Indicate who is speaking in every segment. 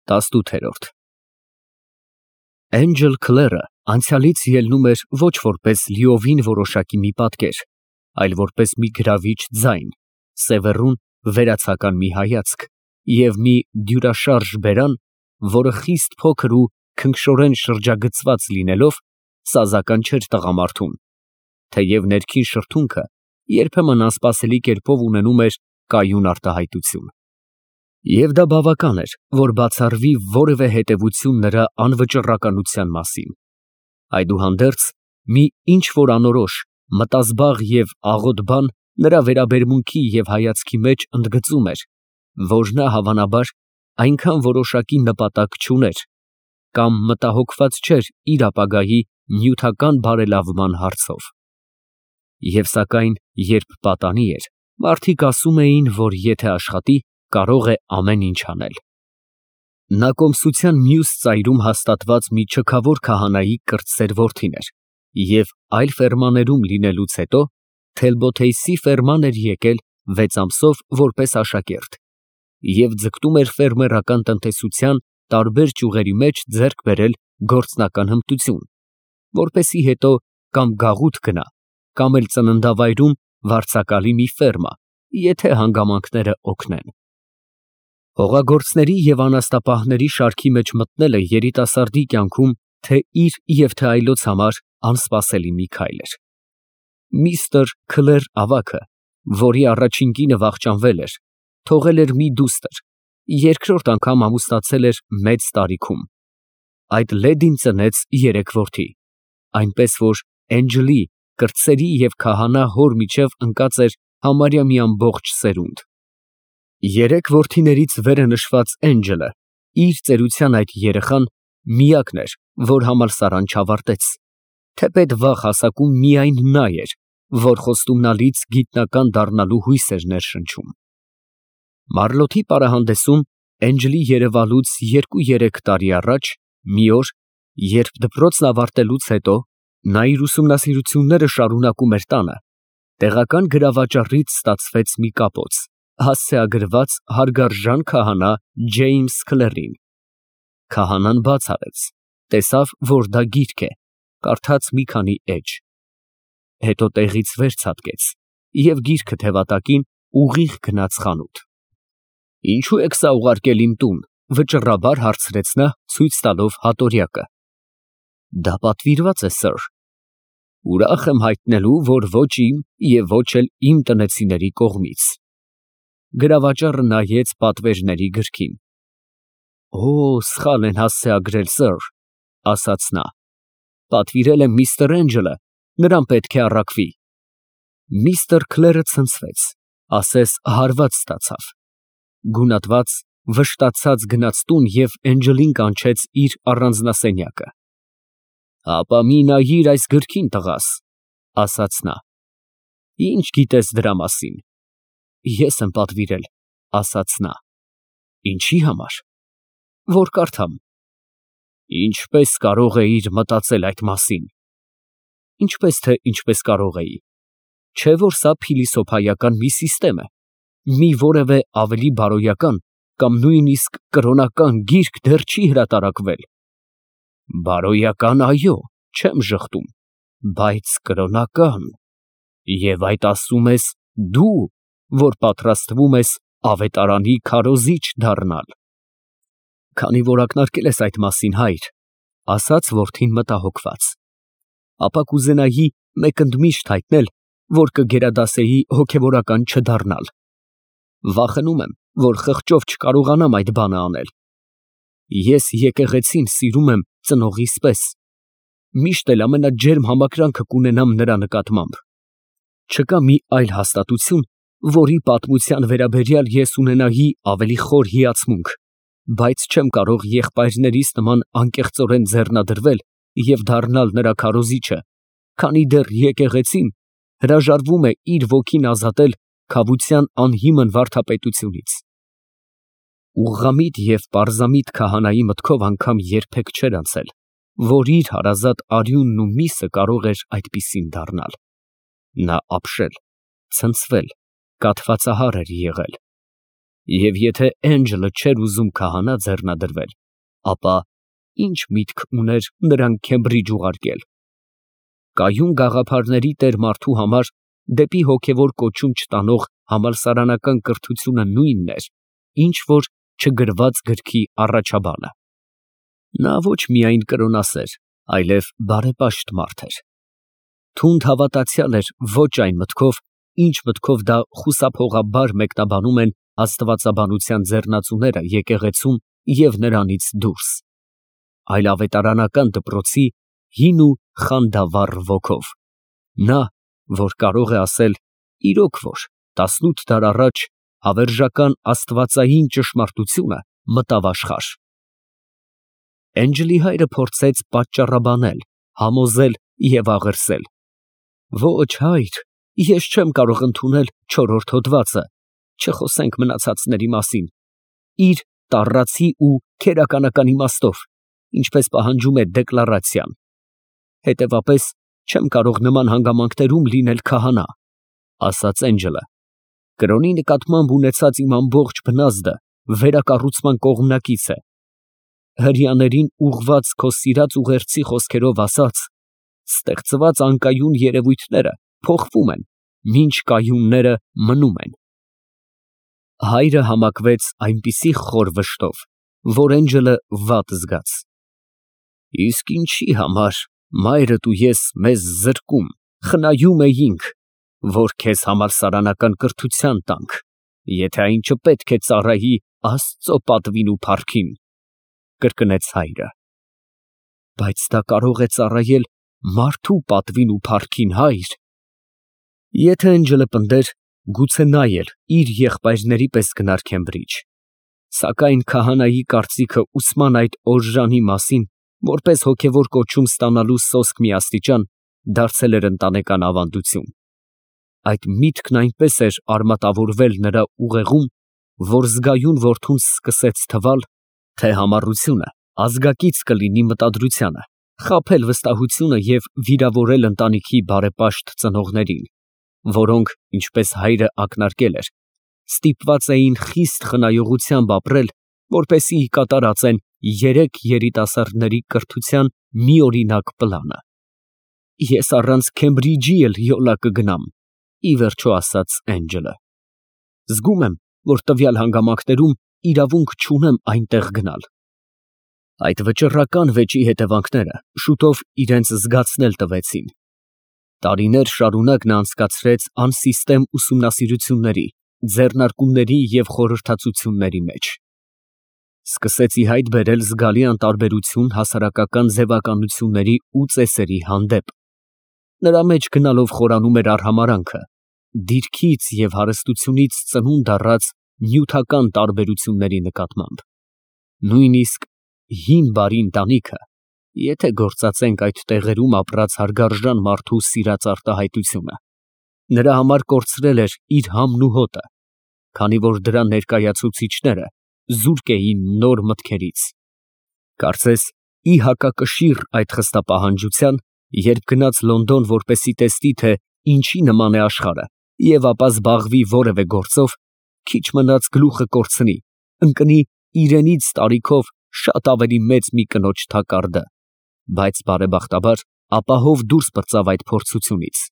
Speaker 1: 18 Էնջել Քլերը անցյալից ելնում էր ոչ որպես լիովին որոշակի մի պատկեր, այլ որպես մի գրավիչ ձայն, սևեռուն վերացական մի հայացք և մի դյուրաշարժ բերան, որը խիստ փոքր ու քնքշորեն շրջագծված լինելով, սազական չէր տղամարդուն, թեև ներքին շրթունքը երբեմն անսպասելի կերպով ունենում էր կայուն արտահայտություն։ Եվ դա բավական էր, որ բացառվի որևէ հետևություն նրա անվճռականության մասին։ Այդուհանդերձ, մի ինչ֊որ անորոշ, մտազբաղ և աղոտ բան նրա վերաբերմունքի և հայացքի մեջ ընդգծում էր, որ նա, հավանաբար, այնքան որոշակի նպատակ չուներ, կամ մտահոգված չէր իր ապագայի նյութական բարելավման հարցով։ Եվ սակայն, երբ պատանի էր, մարդիկ ասում էին, որ եթե աշխատի, կարող է ամեն ինչ անել։ Նա կոմսության մյուս ծայրում հաստատված մի չքավոր քահանայի կրտսեր որդին էր և այլ ֆերմաներում լինելուց հետո Թելբոթեյսի ֆերման էր եկել 6 ամսով որպես աշակերտ և ձգտում էր ֆերմերական տնտեսության տարբեր ճյուղերի մեջ ձեռք բերել գործնական հմտություն, որպեսզի հետո կամ գաղութ գնա, կամ էլ ծննդավայրում վարձակալի մի ֆերմա, եթե հանգամանքները օգնեն։ Հողագործների և անասնապահների շարքի մեջ մտնելը երիտասարդի կյանքում թե իր և թե այլոց համար անսպասելի մի քայլ էր։ Միստր Քլեր ավագը, որի առաջին կինը վախճանվել էր, թողել էր մի դուստր, երկրորդ անգամ ամուսնացել էր մեծ տարիքում։ Այդ լեդին ծնեց 3 որդի, այնպես որ Էնջելի, կրտսերի և քահանա հոր միջև ընկած էր համարյա մի ամբողջ սերունդ։ 3 որդիներից վերը նշված Էնջելը, իր ծերության այդ երեխան, միակն էր, որ համալսարան չավարտեց, թեպետ վաղ հասակում միայն նա էր, որ խոստումնալից գիտնական դառնալու հույս էր ներշնչում։ Մարլոթի պարահանդեսում Էնջելի երևալուց 2-3 տարի առաջ, մի օր, երբ դպրոցն ավարտելուց հետո նա իր ուսումնասիրությունները շարունակում էր տանը, տեղական գրավաճառից ստացվեց մի կապոց, հասցեագրված հարգարժան քահանա Ջեյմս Քլերին։ Քահանան բաց արեց, տեսավ, որ դա գիրք է, կարդաց մի քանի էջ, հետո տեղից վեր ցատկեց և գիրքը թևատակին ուղիղ գնաց խանութ։ Ինչո՞ւ եք սա ուղարկել իմ տուն, վճռաբար հարցրեց նա, ցույց տալով հատորյակը։ Դա պատվիրված է, սըր։ Ուրախ եմ հայտնելու, որ ոչ իմ և ոչ էլ իմ տնեցիների կողմից։ Գրավաճառը նայեց պատվերների գրքին։ Օ, սխալ են հասցեագրել, սըր, ասաց նա։ Պատվիրել է միստր Էնջելը, նրան պետք է առաքվի։ Միստր Քլերը ցնցվեց, ասես հարված ստացավ։ Գունատված, վշտացած գնաց տուն և Էնջելին կանչեց իր առանձնասենյակը։ Հապա մի նայիր այս գրքին, տղաս, ասաց նա։ Ինչ գիտես դրա մասին։ Ես եմ պատվիրել, ասաց նա։ Ինչի համար։ Որ կարդամ։ Ինչպես կարող էիր մտածել այդ մասին։ Ինչպես թե ինչպես կարող էի։ Չէ որ սա փիլիսոփայական մի սիստեմ է, մի որևէ ավելի բարոյական կամ նույնիսկ կրոնական գիրք դեռ չի հրատարակվել։ Բարոյական, այո, չեմ ժխտում, բայց կրոնական։ Եվ այդ ասում ես դու, որ պատրաստվում ես ավետարանի քարոզիչ դառնալ։ Քանի որ ակնարկել ես այդ մասին, հայր, ասաց որդին մտահոգված, ապա կուզենայի մեկ ընդմիշտ հայտնել, որ կգերադասեի հոգևորական չդառնալ։ Վախենում եմ, որ խղճով չկարողանամ այդ բանը անել։ Ես եկեղեցին սիրում եմ ծնողիս պես, միշտ էլ ամենաջերմ համակրանքը կունենամ նրա նկատմամբ։ Չկա մի այլ հաստատություն, որի պատմության վերաբերյալ ես ունենայի ավելի խոր հիացմունք, բայց չեմ կարող եղբայրներիս նման անկեղծորեն ձեռնադրվել և դառնալ նրա քարոզիչը, քանի դեռ եկեղեցին հրաժարվում է իր ոգին ազատել քավության անհիմն վարդապետությունից։ Ուղղամիտ և պարզամիտ քահանայի մտքով անգամ երբեք չէր անցել, որ իր հարազատ արյունն ու միսը կարող էր այդպիսին դառնալ։ Նա ապշել, ցնցվել, կաթվածահար էր եղել։ Եվ եթե Էնջելը չէր ուզում քահանա ձեռնադրվել, ապա ինչ միտք ուներ նրան Քեմբրիջ ուղարկել։ Կայուն գաղափարների տեր մարդու համար դեպի հոգևոր կոչում չտանող համալսարանական կրթությունը նույնն էր, ինչ որ չգրված գրքի առաջաբանը։ Նա ոչ միայն կրոնասեր, այլև բարեպաշտ մարդ էր։ Թունդ հավատացյալ էր ոչ այն մտքով, ինչ մտքով դա խուսափողաբար մեկնաբանում են աստվածաբանության ձեռնածուները եկեղեցում և նրանից դուրս, այլ ավետարանական դպրոցի հին ու խանդավառ ոգով։ Նա, որ կարող է ասել իրոք որ 18 դար առաջ հավերժական աստվածային ճշմարտությունը մտավ աշխարհ։ Էնջելի հայրը փորձեց պատճառաբանել, համոզել և աղերսել. «Ոչ, հայր, ես չեմ կարող ընդունել չորրորդ հոդվածը, չխոսենք մնացածների մասին, իր տառացի ու քերականական իմաստով, ինչպես պահանջում է դեկլարացիան։ Հետևապես չեմ կարող նման հանգամանքներում լինել քահանա», ասաց Էնջելը։ «Կրոնի նկատմամբ ունեցած իմ ամբողջ բնազդը վերակառուցման կողմնակից է։ Հրեաներին ուղղված քո սիրած ուղերձի խոսքերով ասած, ստեղծված անկայուն երևույթները փոխվում են, մինչ կայունները մնում են»։ Հայրը համակվեց այնպիսի խոր վշտով, որ Էնջելը վատ զգաց։ «Իսկ ինչի համար մայրդ ու ես մեզ զրկում, խնայում էինք, որ քեզ համալսարանական կրթության տանք, եթե այն չպետք է ծառայի Աստծո պատվին ու փառքին», կրկնեց հայրը։ «Բայց դա կարող է ծառայել մարդու պատվին ու փառքին, հայր»։ Եթե Էնջելը պնդեր, գուցե նա էլ իր եղբայրների պես գնար Քեմբրիջ, սակայն քահանայի կարծիքը ուսման այդ օրժանի մասին, որպես հոգևոր կոչում ստանալու սոսկ մի աստիճան, դարձել էր ընտանեկան ավանդություն։ Այդ միտքն այնպես էր արմատավորվել նրա ուղեղում, որ զգայուն որդուն սկսեց թվալ, թե համառությունը ազգակից կլինի մտադրությանը, խաբել վստահությունը և վիրավորել ընտանիքի բարեպաշտ ծնողներին, որոնք, ինչպես հայրը ակնարկել էր, ստիպված էին խիստ խնայողությամբ ապրել, որպեսզի կատարածեն երեք երիտասարդների կրթության միօրինակ պլանը։ «Ես առանց Քեմբրիջի էլ յոլա կգնամ», ի վերջո ասաց Էնջելը։ «Զգում եմ, որ տվյալ հանգամանքներում իրավունք չունեմ այնտեղ գնալ»։ Այդ վճռական վեճի հետևանքները շուտով իրենց զգացնել տվեցին։ Տարիներ շարունակ նա անցկացրեց անսիստեմ ուսումնասիրությունների, ձեռնարկումների և խորհրդածությունների մեջ։ Սկսեց ի հայտ բերել զգալի անտարբերություն հասարակական ձևականությունների ու ծեսերի հանդեպ։ Նրա մեջ գնալով խորանում էր արհամարհանքը, դիրքից և հարստությունից ծնունդ առած նյութական տարբերությունների նկատմամբ։ Նույնիսկ հին բարի ընտանիքը, եթե գործածենք այդ տեղերում ապրած հարգարժան մարդու սիրած արտահայտությունը, նրա համար կորցրել էր իր համն ու հոտը, քանի որ դրա ներկայացուցիչները զուրկ էին նոր մտքերից։ Կարծես ի հակակշիռ այդ խստապահանջության, երբ գնաց Լոնդոն, որպեսզի տեսնի, թե ինչի նման է աշխարհը, և ապա զբաղվի որևէ գործով, քիչ մնաց գլուխը կորցնի, ընկնի իրենից տարիքով շատ ավելի մեծ մի կնոջ թակարդը, բայց բարեբախտաբար ապահով դուրս պրծավ այդ փորձությունից։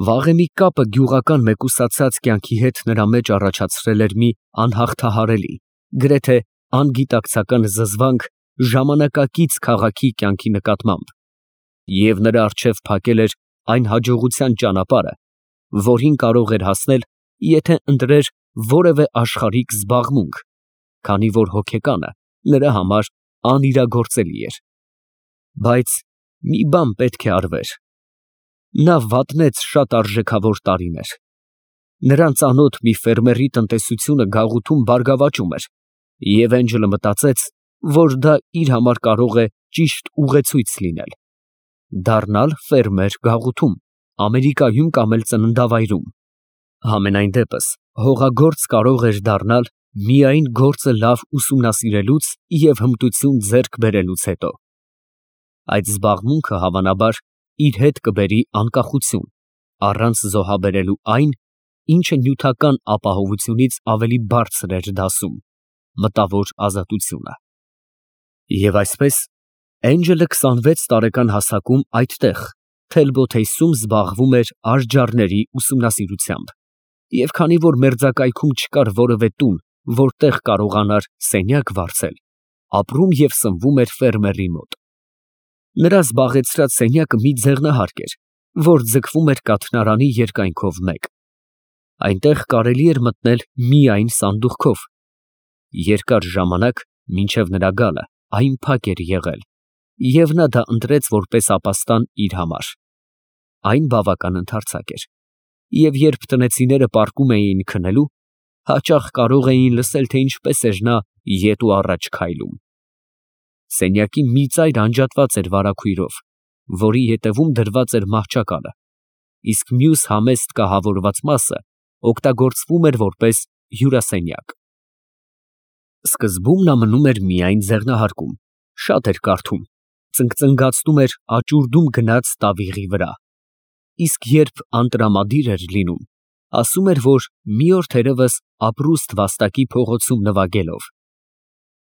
Speaker 1: Վաղեմի կապը գյուղական մեկուսացած կյանքի հետ նրա մեջ առաջացրել էր մի անհաղթահարելի, գրեթե անգիտակցական զզվանք ժամանակակից քաղաքի կյանքի նկատմամբ, և նրա առջև փակել էր այն հաջողության ճանապարհը, որին կարող էր հասնել, եթե ընտրեր որևէ աշխարհիկ զբաղմունք, քանի որ հոգեկանը նրա համար անիրագործելի էր։ Բայց մի բան պետք է արվեր։ Նա վատնեց շատ արժեքավոր տարիներ։ Նրան ծանոթ մի ֆերմերի տնտեսությունը գաղութում բարգավաճում էր, և Էնջելը մտածեց, որ դա իր համար կարող է ճիշտ ուղեցույց լինել։ Դառնալ ֆերմեր գաղութում, Ամերիկայում կամ էլ ծննդավայրում։ Համենայն դեպս, հողագործ կարող էր դառնալ միայն գործը լավ ուսումնասիրելուց և հմտություն ձեռք բերելուց հետո։ Այդ զբաղմունքը, հավանաբար, իր հետ կբերի անկախություն, առանց զոհաբերելու այն, ինչը նյութական ապահովությունից ավելի բարձր էր դասում, մտավոր ազատությունը։ Եվ այսպես, Էնջելը 26 տարեկան հասակում այդտեղ, Թելբոթեյսում զբաղվում էր արճառների ուսումնասիրությամբ, և քանի որ մերձակայքում չկար որևէ տուն, որտեղ կարողանար սենյակ վարձել, ապրում և սնվում էր ֆերմերի մոտ։ Նրա զբաղեցրած սենյակը մի ձեղնահարկ էր, որ ձգվում էր կաթնարանի երկայնքով մեկ։ Այնտեղ կարելի էր մտնել միայն սանդուղքով։ Երկար ժամանակ, մինչև նրա գալը, այն փակ էր եղել, և նա դա ընտրեց որպես ապաստան իր համար։ Այն բավական ընդարձակ էր, և երբ տնեցիները պառկում էին քնելու, հաճախ կարող էին լսել, թե ինչպես էր նա ետ ու առաջ քայլում։ Սենյակի մի ծայր անջատված էր վարագույրով, որի ետևում դրված էր մահճակալը, իսկ մյուս համեստ կահավորված մասը օգտագործվում էր որպես հյուրասենյակ։ Սկզբում նա մնում էր միայն ձեղնահարկում, շատ էր կարդում, ծնկծնգացնում էր աճուրդում գնած տավիղի վրա, իսկ երբ անտրամադիր էր լինում, ասում էր, որ մի օր թերևս ապրուստ վաստակի փողոցում նվագելով։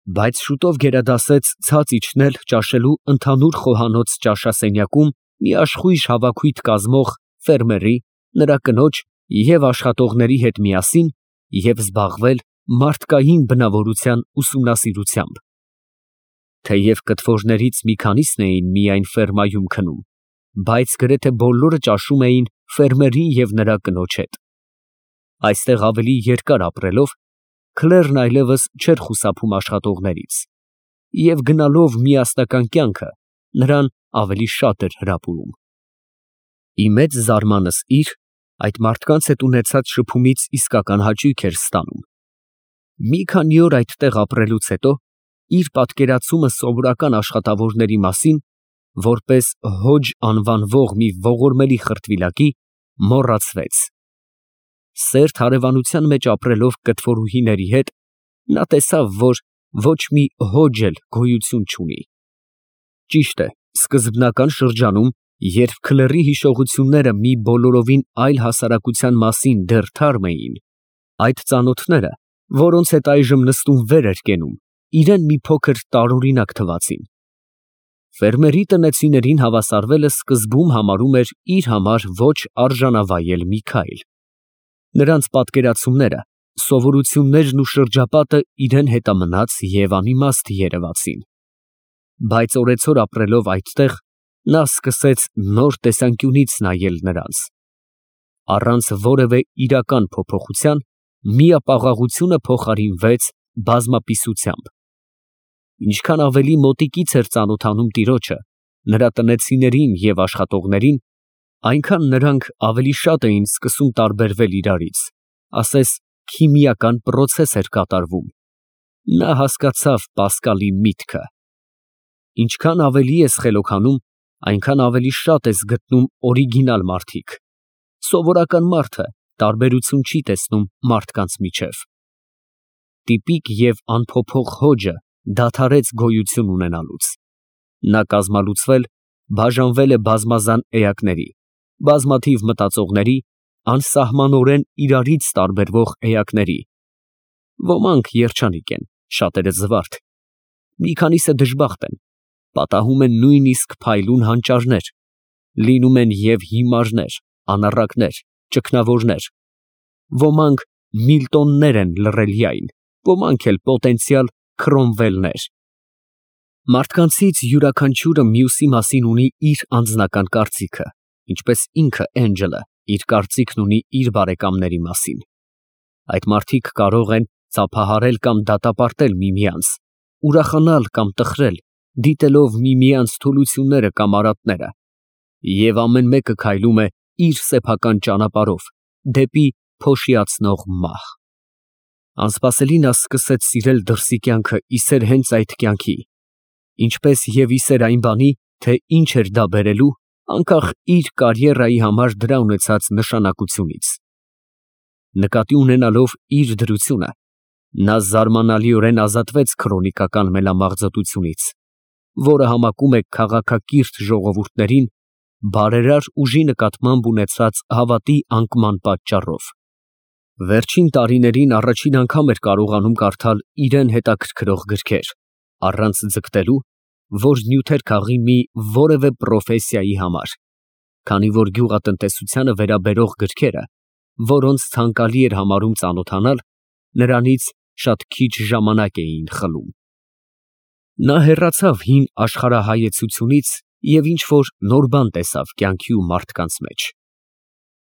Speaker 1: Բայց շուտով գերադասեց ցած իջնել ճաշելու ընդհանուր խոհանոց ճաշասենյակում մի աշխույժ հավաքույթ կազմող ֆերմերի, նրա կնոջ և աշխատողների հետ միասին և զբաղվել մարդկային բնավորության ուսումնասիրությամբ։ Թեև կթվորներից մի քանիսն էին միայն ֆերմայում քնում, բայց գրեթե բոլորը ճաշում էին ֆերմերի և նրա կնոջ հետ։ Այստեղ ավելի երկար ապրելով, Քլերն այլևս չէր խուսափում աշխատողներից, և գնալով միասնական կյանքը նրան ավելի շատ էր հրապուրում։ Ի մեծ զարմանս իր, այդ մարդկանց հետ ունեցած շփումից իսկական հաճույք էր ստանում։ Մի քանի օր այդտեղ ապրելուց հետո, իր պատկերացումը սովորական աշխատավորների մասին, որպես Հոջ անվանվող մի ողորմելի խրտվիլակի, մոռացվեց։ Սերտ հարևանության մեջ ապրելով կտվորուհիների հետ, նա տեսավ, որ ոչ մի Հոջ էլ գոյություն չունի։ Ճիշտ է, սկզբնական շրջանում, երբ Քլերի հիշողությունները մի բոլորովին այլ հասարակության մասին դեռ թարմ էին, այդ ծանոթները, որոնց հետ այժմ նստում վեր էր կենում, իրան մի փոքր տարօրինակ թվացին։ Ֆերմերի տնեցիներին հավասարվելը սկզբում համարում էր իր համար ոչ արժանավայել մի քայլ։ Նրանց պատկերացումները, սովորություններն ու շրջապատը իրան հետամնաց և անիմաստ երևացին։ Բայց օրեցօր ապրելով այդտեղ, նա սկսեց նոր տեսանկյունից նայել նրանց։ Առանց որևէ իրական փոփոխության, միապաղաղությունը փոխարինվեց բազմապիսությամբ։ Ինչքան ավելի մոտիկից էր ծանոթանում տիրոջը, նրա տնեցիներին և աշխատողներին, այնքան նրանք ավելի շատ էին սկսում տարբերվել իրարից, ասես քիմիական պրոցես էր կատարվում։ Նա հասկացավ Պասկալի միտքը։ Ինչքան ավելի ես խելոքանում, այնքան ավելի շատ ես գտնում օրիգինալ մարդիկ։ Սովորական մարդը տարբերություն չի տեսնում մարդկանց միջև։ Տիպիկ և անփոփոխ Հոջը դադարեց գոյություն ունենալուց։ Նա կազմալուծվել, բաժանվել է բազմազան էակների, բազմաթիվ մտածողների, անսահմանորեն իրարից տարբերվող էակների։ Ոմանք երջանիկ են, շատերը զվարթ։ Մի քանիսը դժբախտ են, պատահում են նույնիսկ փայլուն հանճարներ, լինում են և հիմարներ, անառակներ, ճգնավորներ։ Ոմանք Միլտոններ են լռելյայն, ոմանք էլ պոտենցիալ Քրոմվելներ։ Մարդկանցից յուրաքանչյուրը մյուսի մասին ունի իր անձնական կարծիքը, ինչպես ինքը Էնջելը իր կարծիքն ունի իր բարեկամների մասին։ Այդ մարդիկ կարող են ծափահարել կամ դատապարտել միմյանց, ուրախանալ կամ տխրել, դիտելով միմյանց թուլությունները կամ արատները, և ամեն մեկը քայլում է իր սեփական ճանապարհով դեպի փոշիացնող մահ։ Անսպասելի նա սկսեց սիրել դրսի կյանքը ի սեր հենց այդ կյանքի, ինչպես և ի սեր այն բանի, թե ինչ էր դա բերելու, անկախ իր կարիերայի համար դրա ունեցած նշանակությունից։ Նկատի ունենալով իր դրությունը, նա զարմանալիորեն ազատվեց քրոնիկական մելամաղձոտությունից, որը համակում է քաղաքակիրթ ժողովուրդներին բարերար ուժի նկատմամբ ունեցած հավատի անկման պատճառով։ Վերջին տարիներին առաջին անգամ էր կարողանում կարդալ իրան հետաքրքրող գրքեր, առանց ձգտելու, որ նյութեր քաղի մի որևէ պրոֆեսիայի համար, քանի որ գյուղատնտեսությանը վերաբերող գրքերը, որոնց ցանկալի էր համարում ծանոթանալ, նրանից շատ քիչ ժամանակ էին խլում։ Նա հեռացավ հին աշխարհայեցությունից և ինչ-որ նոր բան տեսավ կյանքի ու մարդկանց մեջ։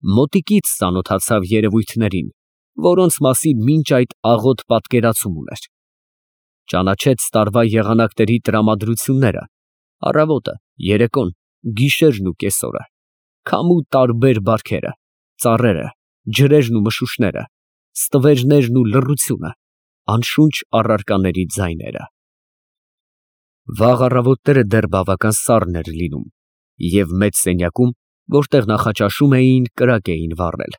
Speaker 1: Մոտիկից ծանոթացավ երևույթներին, որոնց մասին մինչ այդ աղոտ պատկերացում ուներ։ Ճանաչեց տարվա եղանակների տրամադրությունները, առավոտը, երեկոն, գիշերն ու կեսօրը, քամու տարբեր բարքերը, ծառերը, ջրերն ու մշուշները, ստվերներն ու լռությունը, անշունչ առարկաների ձայները։ Վաղ առավոտները դեռ բավական սառն էր լինում, և մեծ սենյակում, որտեղ նախաճաշում էին, կրակ էին վառել։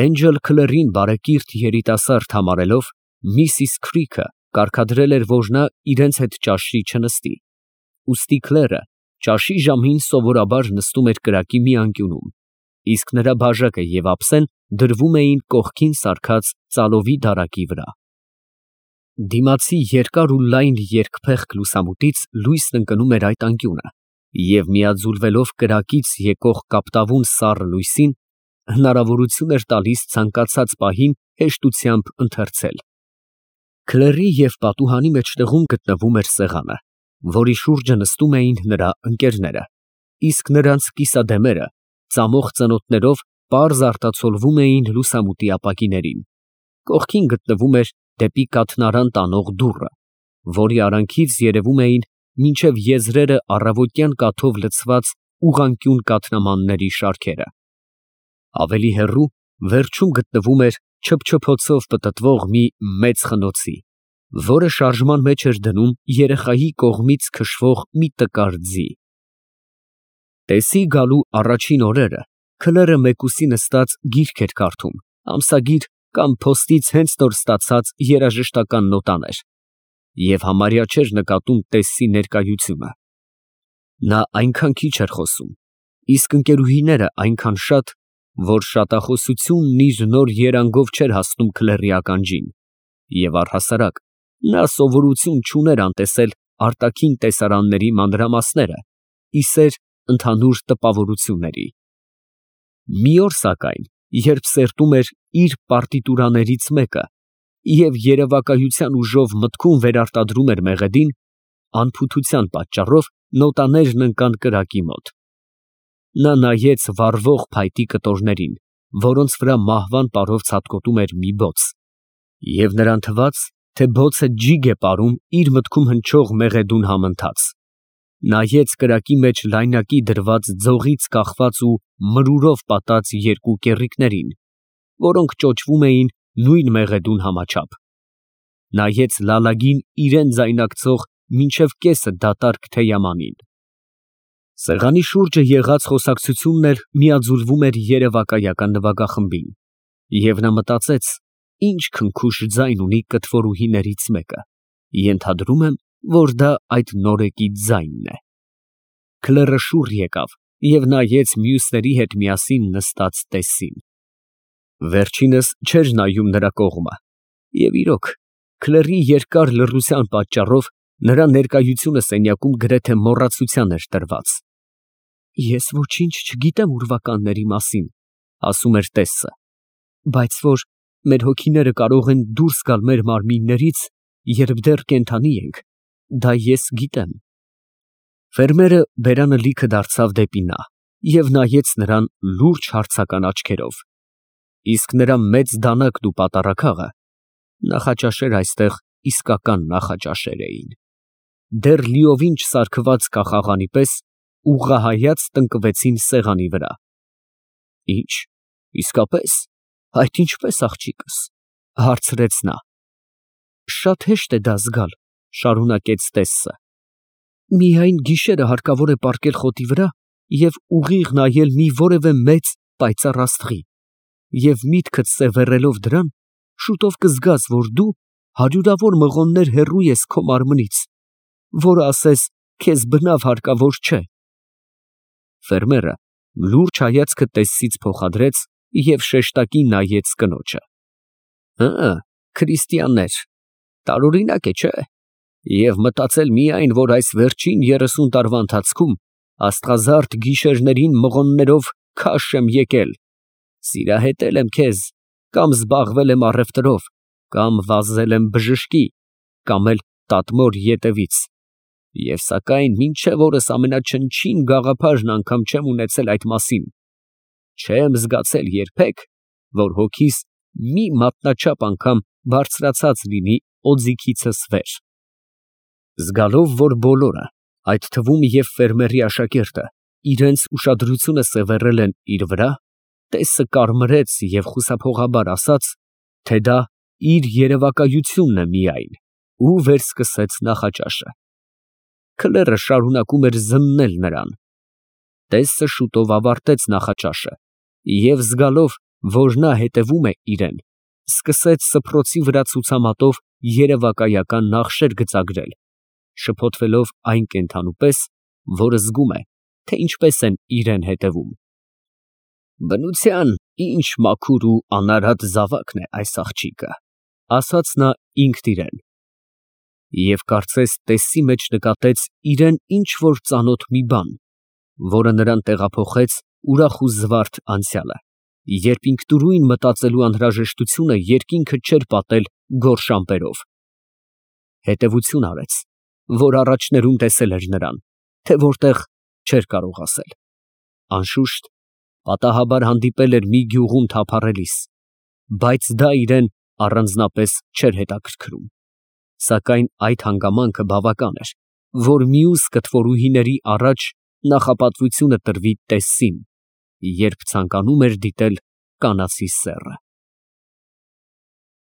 Speaker 1: Էնջել Քլերին բարեկիրթ երիտասարդ համարելով, Միսիս Քրիքը կարգադրել էր, որ նա իրենց հետ ճաշի չնստի, ուստի Քլերը ճաշի ժամին սովորաբար նստում էր կրակի մի անկյունում, իսկ նրա բաժակը և ափսեն դրվում էին կողքին սարքած ծալովի դարակի վրա։ Դիմացի երկար ու լայն երկփեղկ լուսամուտից լույսն ընկնում էր այդ անկյունը և միաձուլվելով կրակից եկող կապտավուն սառը լույսին, հնարավորություն էր տալիս ցանկացած պահին հեշտությամբ ընթերցել։ Քլերի և պատուհանի մեջտեղում գտնվում էր սեղանը, որի շուրջը նստում էին նրա ընկերները, իսկ նրանց կիսադեմերը ծամող ծնոտներով պարզ արտացոլվում էին լուսամուտի ապակիներին։ Կողքին գտնվում էր դեպի կաթնարան տանող դուռը, որի արանքից երևում էին մինչև եզրերը առավոտյան կաթով լցված ուղղանկյուն կաթնամանների շարքերը։ Ավելի հեռու, վերջում գտնվում էր չփչփոցով պտտվող մի մեծ խնոցի, որը շարժման մեջ էր դնում երեխայի կողմից քշվող մի տկար ձի։ Տեսի գալու առաջին օրերը Քլերը մեկուսի նստած գիրք էր կարդում, ամսագիր կամ փոստից հենց նոր ստացած երաժշտական նոտաներ, և համարյա չէր նկատում Տեսսի ներկայությունը։ Նա այնքան քիչ էր խոսում, իսկ ընկերուհիները այնքան շատ, որ շատախոսությունն իր նոր երանգով չէր հասնում Քլերի ականջին, և առհասարակ նա սովորություն չուներ անտեսել արտաքին տեսարանների մանրամասները, ի սեր ընդհանուր տպավորությունների։ Մի օր, սակայն, երբ սերտում էր իր պարտիտուրաներից մեկը և երևակայության ուժով մտքում վերարտադրում էր մեղեդին, անփութության պատճառով նոտաներն ընկան կրակի մոտ։ Նա նայեց վառվող փայտի կտորներին, որոնց վրա մահվան պարով ցատկոտում էր մի բոց, և նրան թվաց, թե բոցը ջիգ է ապարում իր մտքում հնչող մեղեդուն համընթաց։ Նայեց կրակի մեջ լայնակի դրված ձողից կախված ու մրուրով պատած երկու կեռիկներին, որոնք ճոճվում էին նույն մեղեդուն համաչափ։ Նայեց լալագին իրան ձայնարկեցող մինչև կեսը դատարկ թեյամանին։ Սեղանի շուրջը եղած խոսակցությունն էլ միաձուլվում էր երևակայական նվագախմբին, և նա մտածեց, ինչ քնքուշ ձայն ունի կտվորուհիներից մեկը, ենթադրում եմ, որ դա այդ նորեկի ձայնն է։ Քլերը շուռ եկավ և նայեց մյուսների հետ միասին նստած Տեսսին։ Վերջինս չէր նայում նրա կողմը, և իրոք, Քլերի երկար լռության պատճառով նրա ներկայությունը սենյակում գրեթե մոռացության էր տրված։ «Ես ոչինչ չգիտեմ ուրվականների մասին, ֊ ասում էր Տեսսը, ֊ բայց որ մեր հոգիները կարող են դուրս գալ մեր մարմիններից, երբ դեռ կենդանի ենք, դա ես գիտեմ»։ Ֆերմերը բերանը լիքը դարձավ դեպի նա և նայեց նրան լուրջ հարցական աչքերով, իսկ նրա մեծ դանակն ու պատառաքաղը (նախաճաշեր այստեղ իսկական նախաճաշեր էին) դեռ լիովին չսարքված կախաղանի պես ուղղահայաց տնկվեցին սեղանի վրա։ «Ի՞նչ, իսկապես, այդ ինչպե՞ս, աղջիկս, ֊ հարցրեց նա։ ֊ Շատ հեշտ է դա զգալ, ֊ շարունակեց Տեսսը, ֊ միայն գիշերը հարկավոր է պառկել խոտի վրա և ուղիղ նայել մի որևէ մեծ, պայծառ աստղի, և միտքդ սևեռելով դրան, շուտով կզգաս, որ դու հարյուրավոր մղոններ հեռու ես քո մարմնից, որը ասես քեզ բնավ հարկավոր չէ։ Ֆերմերը լուրջ հայացքը Տեսսից փոխադրեց և շեշտակի նայեց կնոջը։ Քրիստիաններ, տարօրինակ է, չէ՞։ Եվ մտածել միայն, որ այս վերջին 30 տարվա ընթացքում աստղազարդ գիշերներին մղոններով քաշ եմ եկել, սիրահետել եմ քեզ, կամ զբաղվել եմ առևտրով, կամ վազել եմ բժշկի, կամ էլ տատմոր ետևից, և սակայն մինչև օրս ամենաչնչին գաղափարն անգամ չեմ ունեցել այդ մասին, չեմ զգացել երբեք, որ հոգիս մի մատնաչափ անգամ բարձրացած լինի օձիքիցս վեր։ Զգալով, որ բոլորը, այդ թվում և ֆերմերի աշակերտը, իրենց ուշադրությունը սևեռել են իր վրա, տեսը կարմրեց և խուսափողաբար ասաց, թե դա իր երևակայությունն է միայն, ու վերսկսեց նախաճաշը։ Քլերը շարունակում էր զննել նրան։ Տեսը շուտով ավարտեց նախաճաշը և զգալով, որ նա հետևում է իրան, սկսեց սփռոցի վրա ցուցամատով երևակայական նախշեր գծագրել, շփոթվելով այն կենդանու պես, որը զգում է, թե ինչպես են իրան հետևում։ Բնության ինչ մաքուր ու անարատ զավակն է այս աղջիկը, ասաց նա ինքն իրան, և կարծես տեսի մեջ նկատեց իրան ինչ֊որ ծանոթ մի բան, որը նրան տեղափոխեց ուրախ ու զվարթ անցյալը, երբ ինքնուրույն մտածելու անհրաժեշտությունը երկինքը չէր պատել գորշ ամպերով։ Հետևություն արեց, որ առաջներում տեսել էր նրան, թե որտեղ չէր կարող ասել։ Անշուշտ, պատահաբար հանդիպել էր մի գյուղում թափառելիս, բայց դա իրան առանձնապես չէր հետաքրքրում, սակայն այդ հանգամանքը բավական էր, որ մյուս կտվորուհիների առաջ նախապատվությունը տրվի տեսին, երբ ցանկանում էր դիտել կանացի սեռը։